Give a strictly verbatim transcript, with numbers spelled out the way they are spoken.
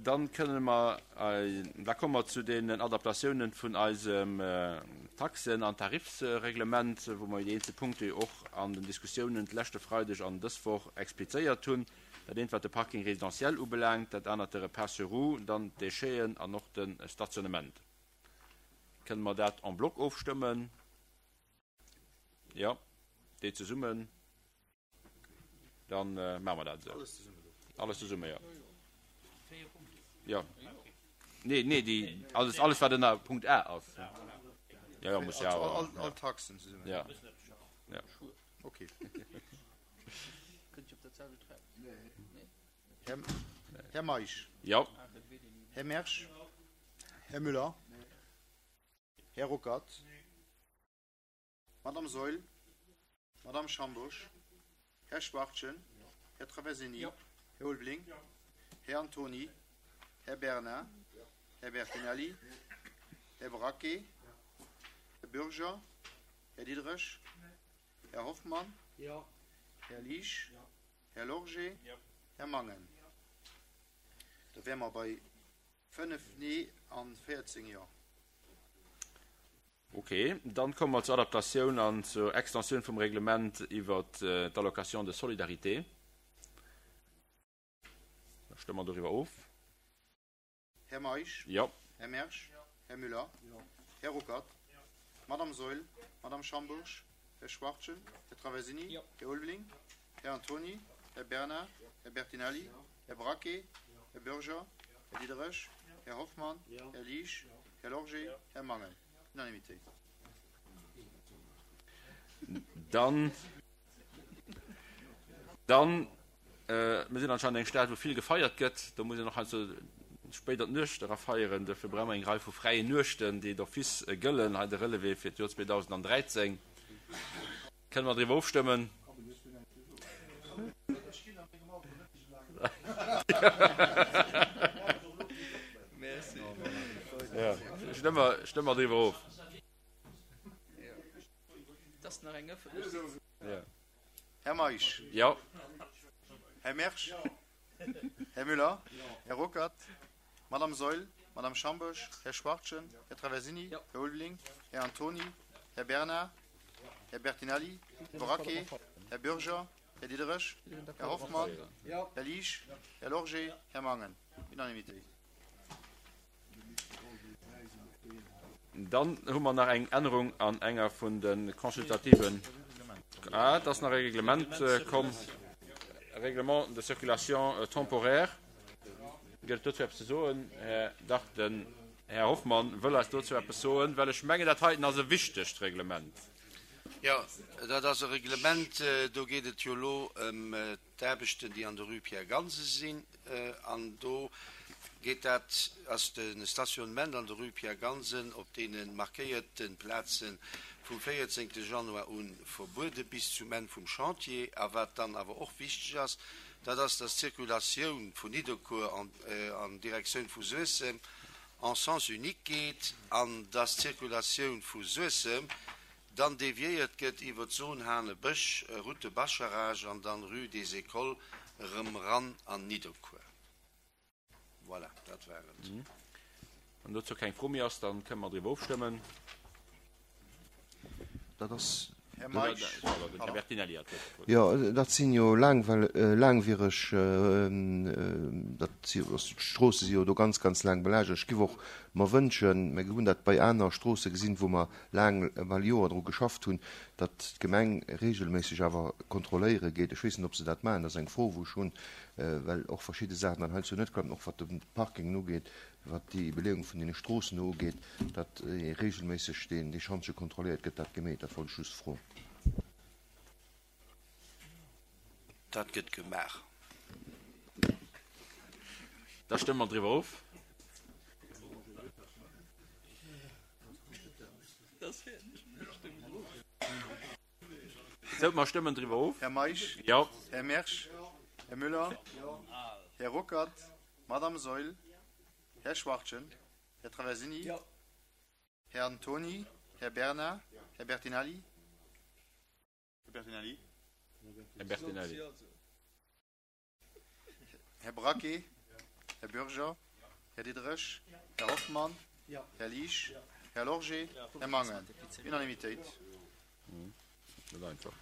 Dann kënne mer, da komme mer zu deenen Adaptatiounen vun eisem Taxen an Tarifsreglement, wou mer déi eenzel Punkte jo och an den Diskussiounen d'leschte Freideg an dës Woch explizéiert hunn. Dat eent wat de Parking résidentiel ubelaangt, dat anert de Repas sur roues, dann d'Décheten an och de Stationnement. Kënne mer dat en bloc ofstëmmen? Jo, déi zesummen. Dann maache mer dat esou. Alles zesumme, jo. Jo. Nee, nee, déi, alles, alles wat ënner Punkt A ass. Jo, jo, muss jo awer. All Taxen zesummen. Ja. Ja. Okay. Här Meisch. Jo. Här Mersch. Här Müller. Här Ruckert. Madame Saeul, Madame Schambourg, Här Schwachtgen, Här Traversini, Här Ulveling, Här Antony, Här Bernard, Här Bertinelli, Här Braquet, Här Bürger, Här Diderich, Här Hoffmann, Här Liesch, Här Lorgé, Här Mangen. Da wäre mer bei fënnef Nee an véierzéng Jo. Ok, dann komme mer zur Adaptatioun an zur Extensioun vum Reglement iwwert d'Allocation de solidarité. Da stëmme mer doriwwer of. Här Meisch. Jo. Här Mersch. Här Müller. Här Ruckert. Madame Saeul. Madame Schambourg. Här Schwachtgen. Här Traversini. Här Ulveling. Här Antony. Här Bernard. Här Bertinelli. Här Braquet. Här Bürger. Här Diderich. Här Hoffmann. Här Liesch. Här Lorgé. Här Mangen. Unanimité. Dann, dann, mir sinn anscheinend eng Stad, wou vill gefeiert gëtt. Do muss een och heiansdo spéit an d'Nuecht era feieren. Duerfir brauche mer eng Rei vu fräien Nuechten, déi d'office gëllen. Hei de Relevé fir d'Joer zweedausendandräizéng. Kënne mer driwwer ofstëmmen? Stëmme mer driwwer of. Här Meisch. Jo. Här Mersch. Här Müller. Här Ruckert. Madame Saeul. Madame Schambourg. Här Schwachtgen. Här Traversini. Här Ulveling. Här Antony. Här Bernard. Här Bertinelli. Här Braquet. Här Bürger. Här Diderich. Här Hoffmann. Här Liesch. Här Lorgé. Här Mangen. Unanimité. Dann hu mer nach eng Ännerung an enger vun de consultativen. Ah, et ass nach e Reglement komm, Règlement de circulation temporaire. Gëtt et dozou eppes ze soen, Här? Dach, den Här Hoffmann wëll eis dozou eppes soen, well ech mengen, dat heiten ass e wichtegt Reglement. Jo, dat ass e Reglement, do geet et jo elo ëm d'Aarbechten, déi an der Rue Pierre Gansen sinn. An do geet dat, ass de Stationnement an der Rue Pierre Gansen op deene markéierte Plaze vum véierzéngte Januar u verbuede bis zum Enn vum Chantier. A wat dann awer och wichteg ass, dat ass, dass d'Circulatioun vun Nidderkuer an Direktioun vu Suessem en sens unique geet an dass d'Circulatioun vu Suessem dann deviéiert gëtt iwwer d'Zone Hanebësch, Route de Bascharage an dann Rue des Écoles erëm ran an Nidderkuer. Voilà, dat war et. Wann dozou keng Fro méi ass, da kënne mer driwwer ofstëmmen. Dat ass. Här Meisch. Pardon, den Här Bertinelli hat d'Wuert. Jo, dat sinn jo laangwiereg, dat si, d'Stroosse si jo do ganz, ganz laang belagert. Ech giff och mer wënschen, mä hunn dat bei aner Stroosse gesinn, wou mer laang, bal Joer dru geschafft hunn, datt d'Gemeng regelméisseg awer kontrolléiere geet. Ech weess net, ob se dat maachen, dat ass eng Fro, wou ech hunn, well och verschidde Saachen dann heiansdo net klappen, och wat de Parkingen ugeet, wat déi Beleeung vun deene Stroossen do ugeet, datt regelméisseg deen dee Schantje kontrolléiert gëtt, dat gemeet. Dat wollt ech just froen. Dat gëtt gemaach. Da stëmme mer driwwer of. Sou, mer stëmmen driwwer of. Här Meisch. Jo. Här Mersch. Här Müller. Här Ruckert. Madame Saeul. Här Schwachtgen. Här Traversini. Här Antony. Här Bernard. Här Bertinelli. Här Bertinelli. Här Bertinelli. Här Braquet. Här Bürger. Här Diderich. Här Hoffmann. Här Liesch. Här Lorgé. Här Mangen. Unanimitéit. Net einfach.